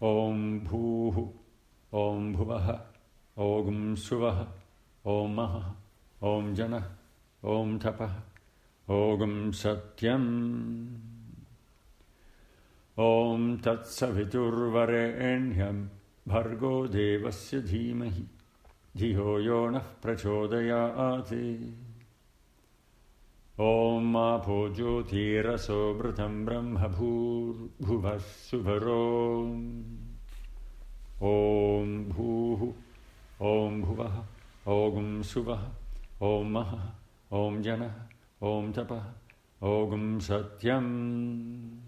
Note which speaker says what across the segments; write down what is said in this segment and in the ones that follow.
Speaker 1: Om Bhuh, Om Bhuvah, Om Suvah, Om Mahah, Om Janah, Om Tapah, Om Satyam. Om Tat Saviturvarenyam Bhargo Devasya Dhimahi Dhiyo Yonah Prachodayate. Om Apo Jyotirasो Vritam Brahma Bhuvah Suvaro. Om Bhuh, Om Bhuvah, Om Suvah, Om Mahah, Om Janah, Om Tapah, Om Satyam.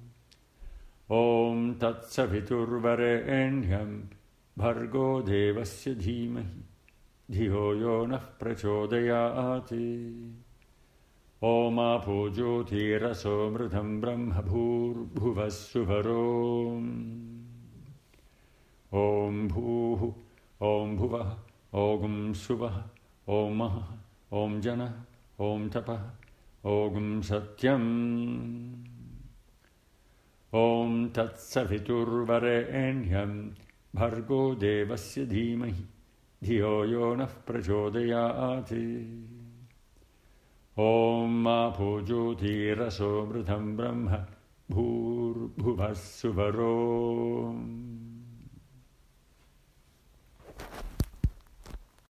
Speaker 1: Om Tat Saviturvarenyam Bhargo Devasya Dhimahi Dhiyo Yonah Prachodayate. Om Apo Jyotirasो Vritam Brahma Bhuvah Suvaro. Om Bhuh, Om Bhuvah, Om Suvah, Om Mahah, Om Janah, Om Tapah, Om Satyam. Om Tat Saviturvarenyam Bhargo Devasya Dhimahi Dhiyo Yonah Prachodayate. Om Apo Jyotirasो Vritam Brahma Bhuvah Suvaro.